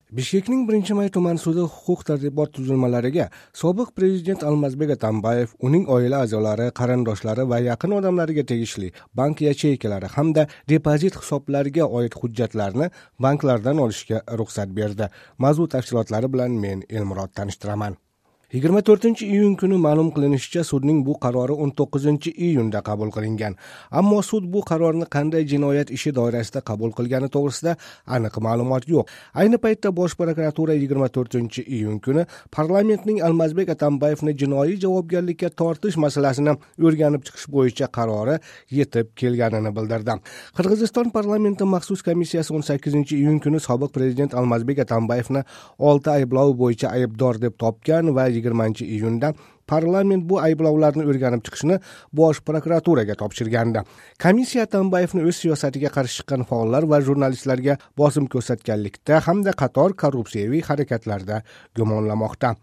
Bishkekning 1-may tuman sudi huquq tartibot tuzilmalariga sobiq prezident Almazbek Atambayev, uning oila a'zolari, qarindoshlari va yaqin odamlariga tegishli bank yacheykalari hamda depozit hisoblariga oid hujjatlarni banklardan olishga ruxsat berdi. Mavzu tafsilotlari bilan men Elmurod tanishtiraman. 24-iyun kuni ma'lum qilinishicha, sudning bu qarori 19-iyunda qabul qilingan. Ammo sud bu qarorni qanday jinoyat ishi doirasida qabul qilgani to'g'risida aniq ma'lumot yo'q. Ayni paytda Bosh prokuratura 24-iyun kuni parlamentning Almazbek Atambayevni jinoiy javobgarlikka tortish masalasini o'rganib chiqish bo'yicha qarori yetib kelganini bildirdi. Qirg'iziston parlamenti maxsus komissiyasi 18-iyun kuni sobiq prezident Almazbek Atambayevni 6 ayblov bo'yicha aybdor deb topgan va 20-iyunda parlament bu ayblovlarni o'rganib chiqishni Bosh prokuraturaga topshirgandi. Komissiya Atambayevni o'z siyosatiga qarshi chiqqan faollar va jurnalistlarga bosim ko'rsatganlikda hamda qator korrupsiyaviy harakatlarda gumonlamoqda.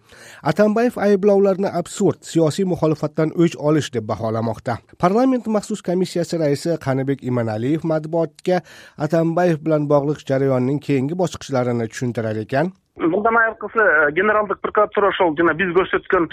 Atambayev ayblovlarni absurd, siyosiy muxolifatdan o'ch olish deb baholamoqda. Parlament maxsus komissiyasi raisi Qanibek Imanaliyev matbuotga Atambayev bilan bog'liq jarayonning keyingi bosqichlarini tushuntirar ekan. Мындан айыркысы Генералдык прокуратура ошол жана биз көрсөткөн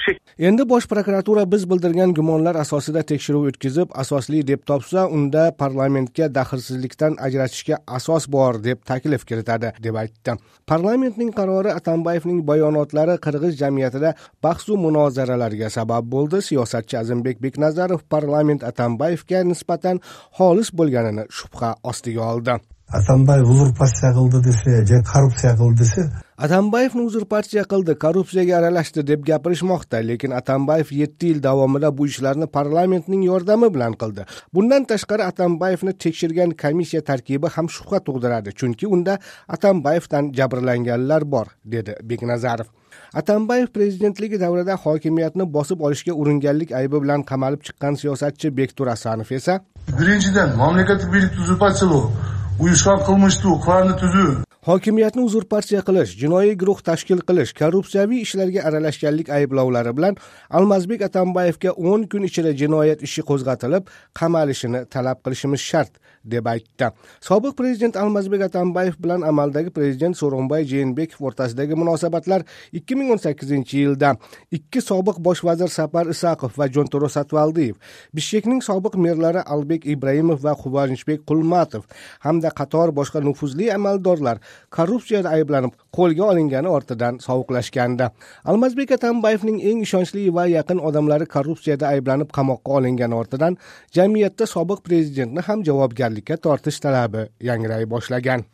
Endi Bosh prokuratura biz bildirgan gumonlar asosida tekshiruv o'tkazib, asosli deb topsa, unda parlamentga daxlsizlikdan ajratishga asos bor deb taklif kiritadi, deb aytdi. Parlamentning qarori, Atambayevning bayonotlari qirg'iz jamiyatida bahsu munozaralarga sabab bo'ldi. Siyosatchi Azimbek Beknazarov parlament Atambayevga nisbatan xolis bo'lganini shubha ostiga oldi. Атамбаев узурпация кылды десе же коррупция кылды десе. Atambayevni uzurpatsiya qildi, korrupsiyaga aralashdi deb gapirishmoqda, lekin Atambayev 7 yil davomida bu ishlarni parlamentning yordami bilan qildi. Bundan tashqari, Atambayevni tekshirgan komissiya tarkibi ham shubha tug'diradi, chunki unda Atambayevdan jabrlanganlar bor, dedi Beknazarov. Atambayev prezidentligi davrida hokimiyatni bosib olishga uringanlik aybi bilan qamalib chiqqan siyosatchi Bektur Asanov esa: Биринчиден, мамлекеттик бийликти узурпациялоо, уюшкан кылмыштуу кланды түзүү. Hokimiyatni uzurpatsiya qilish, jinoiy guruh tashkil qilish, korrupsiyaviy ishlarga aralashganlik ayblovlari bilan Almazbek Atambayevga 10 kun ichida jinoyat ishi qo'zg'atilib, qamalishini talab qilishimiz shart, deb aytdi. Sobiq prezident Almazbek Atambayev bilan amaldagi prezident So'ronbay Jeenbekov o'rtasidagi munosabatlar 2018 yilda ikki sobiq bosh vazir Sapar Isaqov va Jontoro Satvaldiyev, Bishkekning sobiq merlari Albek Ibraimov va Quvonchbek Qulmatov hamda qator boshqa nufuzli amaldorlar korrupsiyada ayblanib qo'lga olingani ortidan sovuqlashgandi. Almazbek Atambayevning eng ishonchli va yaqin odamlari korrupsiyada ayblanib qamoqqa olingani ortidan jamiyatda sobiq prezidentni ham javobgarlikka tortish talabi yangray boshlagan.